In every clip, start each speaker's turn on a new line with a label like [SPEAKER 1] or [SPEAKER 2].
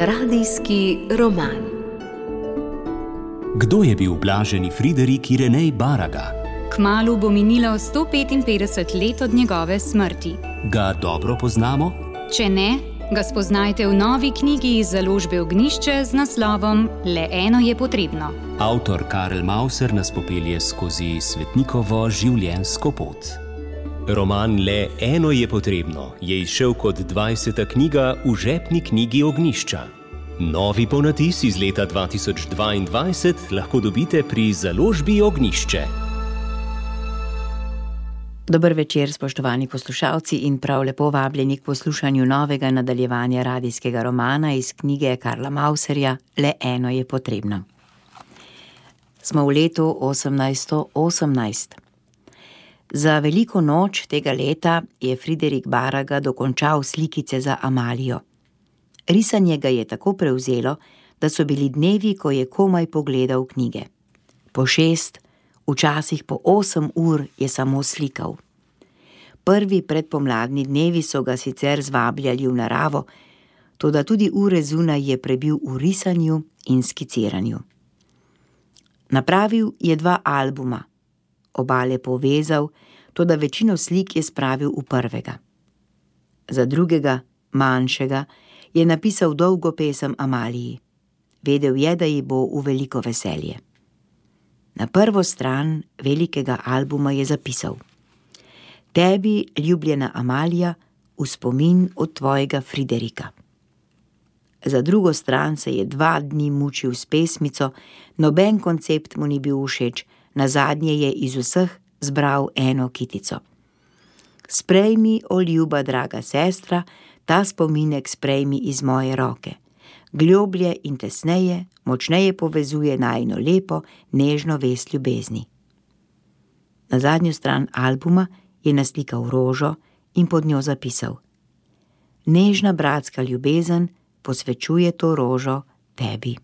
[SPEAKER 1] Radijski roman.
[SPEAKER 2] Kdo je bil blaženi Friderik Irenej Baraga?
[SPEAKER 3] Kmalu bo minilo 155 let od njegove smrti.
[SPEAKER 2] Ga dobro poznamo?
[SPEAKER 3] Če ne, ga spoznajte v novi knjigi iz založbe Ognjišče z naslovom Le eno je potrebno.
[SPEAKER 2] Avtor Karel Mauser nas popelje skozi svetnikovo življenjsko pot. Roman Le eno je potrebno je izšel kot 20. knjiga v žepni knjigi Ognjišča. Novi ponatis iz leta 2022 lahko dobite pri založbi Ognjišče.
[SPEAKER 4] Dober večer, spoštovani poslušalci, in prav lepo vabljeni k poslušanju novega nadaljevanja radijskega romana iz knjige Karla Mauserja Le eno je potrebno. Smo v letu 1818. Za veliko noč tega leta je Friderik Baraga dokončal slikice za Amalijo. Risanje ga je tako prevzelo, da so bili dnevi, ko je komaj pogledal knjige. Po 6, včasih po 8 ur je samo slikal. Prvi predpomladni dnevi so ga sicer zvabljali v naravo, toda tudi ure zunaj je prebil v risanju in skiciranju. Napravil je 2 albuma, obale povezal, toda večino slik je spravil v prvega. Za drugega, manjšega, je napisal dolgo pesem Amaliji. Vedel je, da ji bo v veliko veselje. Na prvo stran velikega albuma je zapisal: Tebi, ljubljena Amalija, v spomin od tvojega Friderika. Za drugo stran se je 2 dni mučil s pesmico, noben koncept mu ni bil všeč, nazadnje je iz vseh zbral eno kitico. Sprejmi, o ljuba draga sestra, ta spominek sprejmi iz moje roke. Globlje in tesneje, močneje povezuje najino lepo, nežno vest ljubezni. Na zadnjo stran albuma je naslikal rožo in pod njo zapisal: Nežna bratska ljubezen posvečuje to rožo tebi.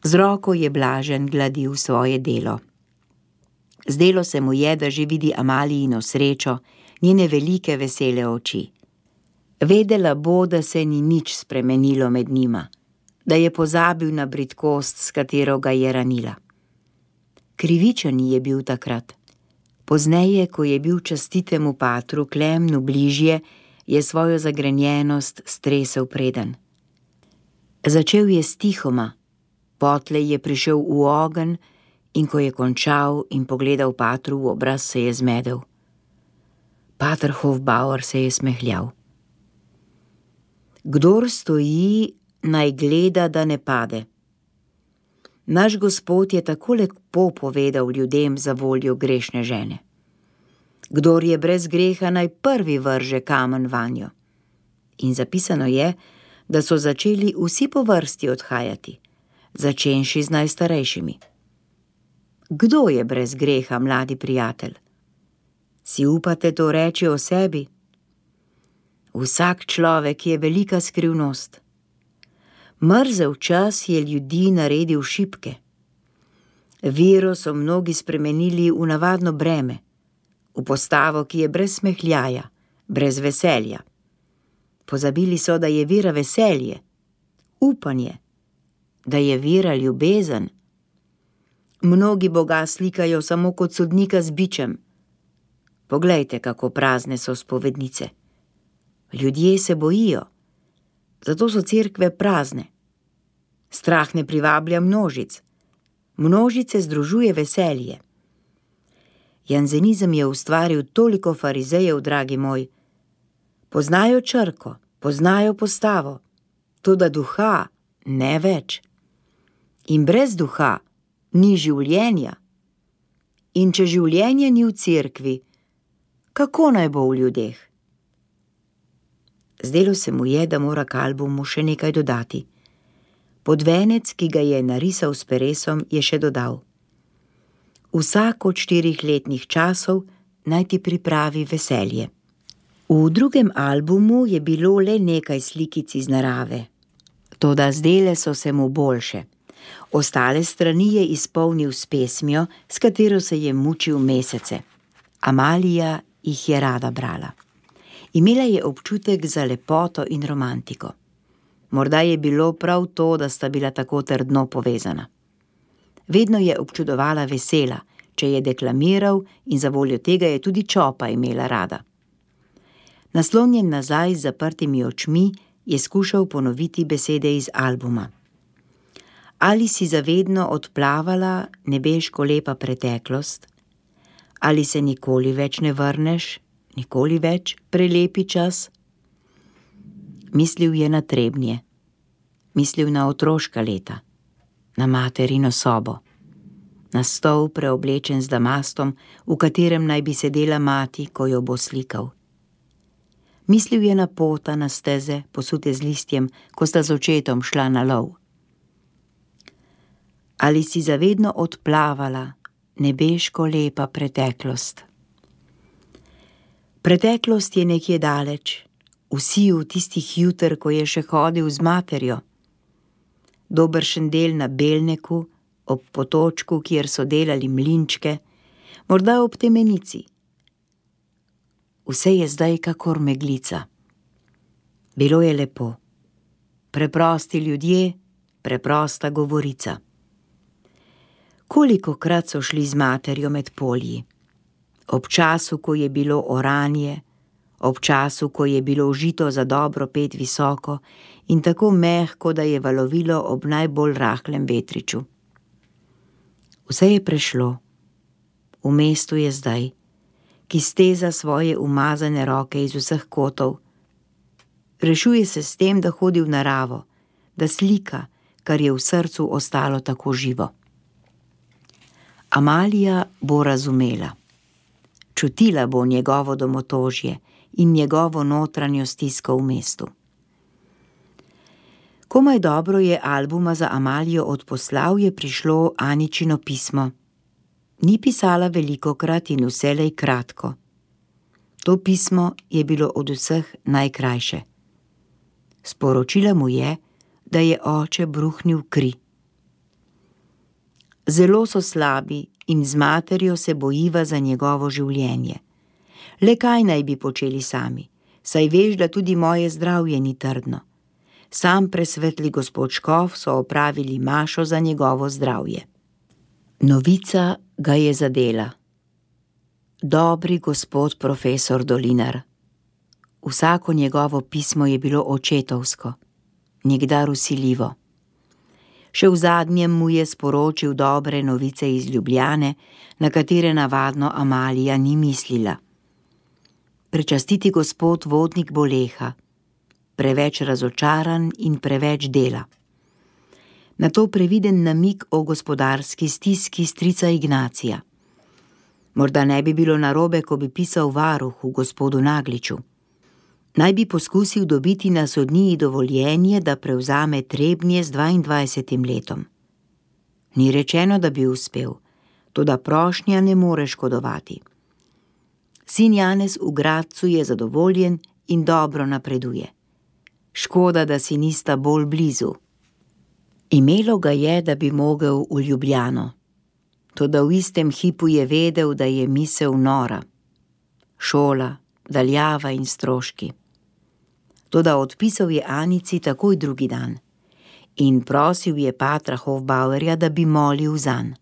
[SPEAKER 4] Z roko je blažen gladil svoje delo. Zdelo se mu je, da že vidi Amalijino srečo, njene velike vesele oči. Vedela bo, da se ni nič spremenilo med njima, da je pozabil na bridkost, s katero ga je ranila. Krivičen je bil takrat. Pozneje, ko je bil častitemu patru Klemnu bližje, je svojo zagrenjenost stresel preden. Začel je stihoma, potlej je prišel v ogenj in ko je končal in pogledal patru v obraz, se je zmedel. Pater Hofbauer se je smehljal. Kdor stoji, naj gleda, da ne pade. Naš Gospod je tako lepo povedal ljudem za voljo grešne žene. Kdor je brez greha, naj prvi vrže kamen vanjo. In zapisano je, da so začeli vsi po vrsti odhajati, začenši z najstarejšimi. Kdo je brez greha, mladi prijatelj? Si upate to reči o sebi? Vsak človek je velika skrivnost. Mrzel čas je ljudi naredil šibke. Vero so mnogi spremenili v navadno breme, v postavo, ki je brez smehljaja, brez veselja. Pozabili so, da je vera veselje, upanje, da je vera ljubezen. Mnogi Boga slikajo samo kot sodnika z bičem. Poglejte, kako prazne so spovednice. Ljudje se bojijo, zato so cerkve prazne. Strah ne privablja množic. Množice združuje veselje. Janzenizem je ustvaril toliko farizejev, dragi moj. Poznajo črko, poznajo postavo, toda duha ne več. In brez duha ni življenja. In če življenje ni v cerkvi, kako naj bo v ljudeh? Zdelo se mu je, da mora k albumu še nekaj dodati. Podvenec, ki ga je narisal s peresom, je še dodal: Vsak od 4 letnih časov naj ti pripravi veselje. V drugem albumu je bilo le nekaj slikic iz narave, toda zdele so se mu boljše. Ostale strani je izpolnil s pesmijo, s katero se je mučil mesece. Amalija jih je rada brala. Imela je občutek za lepoto in romantiko. Morda je bilo prav to, da sta bila tako trdno povezana. Vedno je občudovala vesela, če je deklamiral, in za voljo tega je tudi Čopa imela rada. Naslonjen nazaj z zaprtimi očmi je skušal ponoviti besede iz albuma. Ali si zavedno odplavala nebeško lepa preteklost? Ali se nikoli več ne vrneš, nikoli več prelepi čas? Mislil je na Trebnje, mislil na otroška leta, na materino sobo, na stol preoblečen z damastom, v katerem naj bi sedela mati, ko jo bo slikal. Mislil je na pota, na steze, posute z listjem, ko sta z očetom šla na lov. Ali si zavedno odplavala nebeško lepa preteklost? Preteklost je nekje daleč, vsi v tistih juter, ko je še hodil z materjo. Dobršen del na Belneku, ob potočku, kjer so delali mlinčke, morda ob Temenici. Vse je zdaj kakor meglica. Bilo je lepo. Preprosti ljudje, preprosta govorica. Kolikokrat so šli z materjo med polji? Ob času, ko je bilo oranje, ob času, ko je bilo žito za dobro pet visoko in tako mehko, da je valovilo ob najbolj rahlem vetriču. Vse je prešlo. V mestu je zdaj, ki steza svoje umazane roke iz vseh kotov. Rešuje se s tem, da hodi v naravo, da slika, kar je v srcu ostalo tako živo. Amalija bo razumela. Čutila bo njegovo domotožje in njegovo notranjo stisko v mestu. Komaj dobro je albuma za Amalijo odposlal, je prišlo Aničino pismo. Ni pisala velikokrat in vselej kratko. To pismo je bilo od vseh najkrajše. Sporočila mu je, da je oče bruhnil kri. Zelo so slabi in z materjo se bojiva za njegovo življenje. Le kaj naj bi počeli sami, saj veš, da tudi moje zdravje ni trdno. Sam presvetli gospod Škof so opravili mašo za njegovo zdravje. Novica ga je zadela. Dobri gospod profesor Dolinar. Vsako njegovo pismo je bilo očetovsko, nikdar vsiljivo. Še v zadnjem mu je sporočil dobre novice iz Ljubljane, na katere navadno Amalija ni mislila. Prečastiti gospod vodnik Boleha, preveč razočaran in preveč dela. Na to previden namig o gospodarski stiski strica Ignacija. Morda ne bi bilo narobe, ko bi pisal varuhu gospodu Nagliču. Naj bi poskusil dobiti na sodniji dovoljenje, da prevzame Trebnje z 22 letom. Ni rečeno, da bi uspel, toda prošnja ne more škodovati. Sin Janez v Gradcu je zadovoljen in dobro napreduje. Škoda, da si nista bolj blizu. Imelo ga je, da bi mogel v Ljubljano, toda v istem hipu je vedel, da je misel nora. Šola, daljava in stroški. Toda odpisal je Anici takoj drugi dan in prosil je patra Hofbauerja, da bi molil zanj.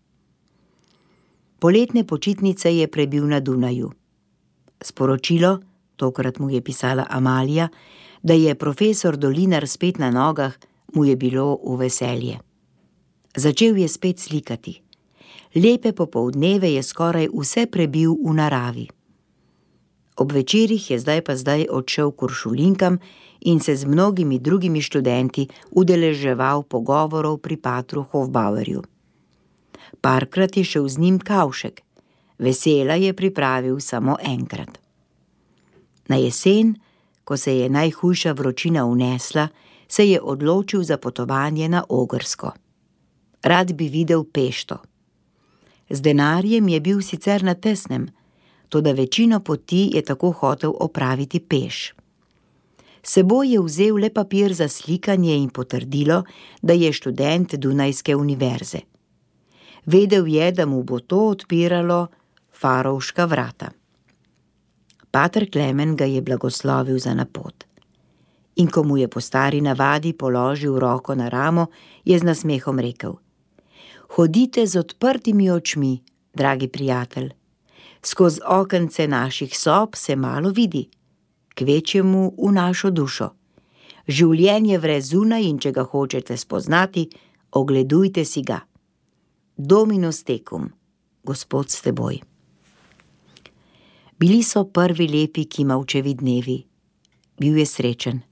[SPEAKER 4] Poletne počitnice je prebil na Dunaju. Sporočilo, tokrat mu je pisala Amalija, da je profesor Dolinar spet na nogah, mu je bilo v veselje. Začel je spet slikati. Lepe popoldneve je skoraj vse prebil v naravi. Ob večerih je zdaj odšel k uršulinkam in se z mnogimi drugimi študenti udeleževal pogovorov pri patru Hofbauerju. Parkrat je šel z njim Kavšek, vesela je pripravil samo enkrat. Na jesen, ko se je najhujša vročina unesla, se je odločil za potovanje na Ogrsko. Rad bi videl Pešto. Z denarjem je bil sicer na tesnem, toda večino poti je tako hotel opraviti peš. S seboj je vzel le papir za slikanje in potrdilo, da je študent Dunajske univerze. Vedel je, da mu bo to odpiralo Farovška vrata. Pater Klemen ga je blagoslovil za na pot. In ko mu je po stari navadi položil roko na ramo, je z nasmehom rekel: Hodite z odprtimi očmi, dragi prijatelj. Skozi okence naših sob se malo vidi, kvečjemu v našo dušo. Življenje vre zunaj in če ga hočete spoznati, ogledujte si ga. Dominus tecum, Gospod s teboj. Bili so prvi lepi Kimavčevi dnevi. Bil je srečen.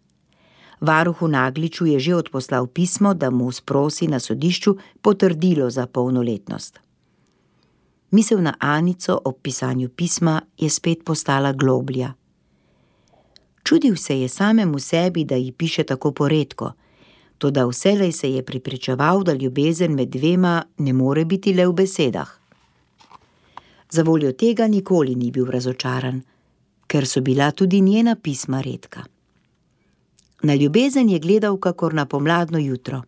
[SPEAKER 4] Varuhu Nagliču je že odposlal pismo, da mu sprosi na sodišču potrdilo za polnoletnost. Misel na Anico ob pisanju pisma je spet postala globlja. Čudil se je samemu sebi, da ji piše tako poredko, toda vselej se je prepričeval, da ljubezen med dvema ne more biti le v besedah. Zavoljo tega nikoli ni bil razočaran, ker so bila tudi njena pisma redka. Na ljubezen je gledal kakor na pomladno jutro.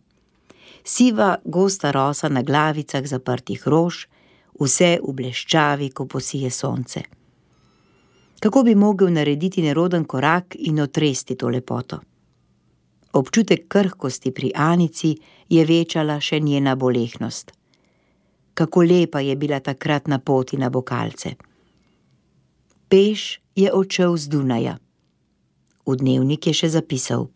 [SPEAKER 4] Siva, gosta rosa na glavicah zaprtih rož, vse v bleščavi, ko posije sonce. Kako bi mogel narediti neroden korak in otresti to lepoto? Občutek krhkosti pri Anici je večala še njena bolehnost. Kako lepa je bila takrat na poti na Bokalce. Peš je odšel z Dunaja. V dnevnik je še zapisal: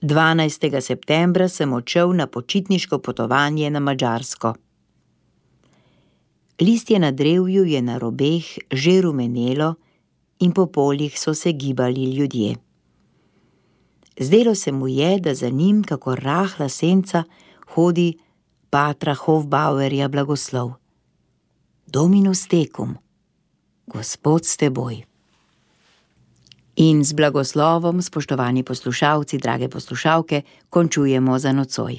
[SPEAKER 4] 12. septembra sem odšel na počitniško potovanje na Madžarsko. Listje na drevju je na robeh že rumenelo in po poljih so se gibali ljudje. Zdelo se mu je, da za njim, kako rahla senca, hodi patra Hofbauerja blagoslov. Dominus tecum, Gospod s teboj. In z blagoslovom, spoštovani poslušalci, drage poslušalke, končujemo za nocoj.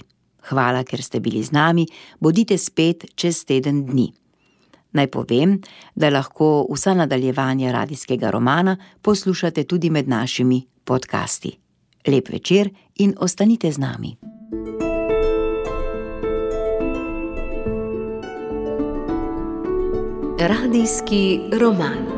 [SPEAKER 4] Hvala, ker ste bili z nami, bodite spet čez teden dni. Naj povem, da lahko vsa nadaljevanja radijskega romana poslušate tudi med našimi podcasti. Lep večer in ostanite z nami.
[SPEAKER 1] Radijski roman.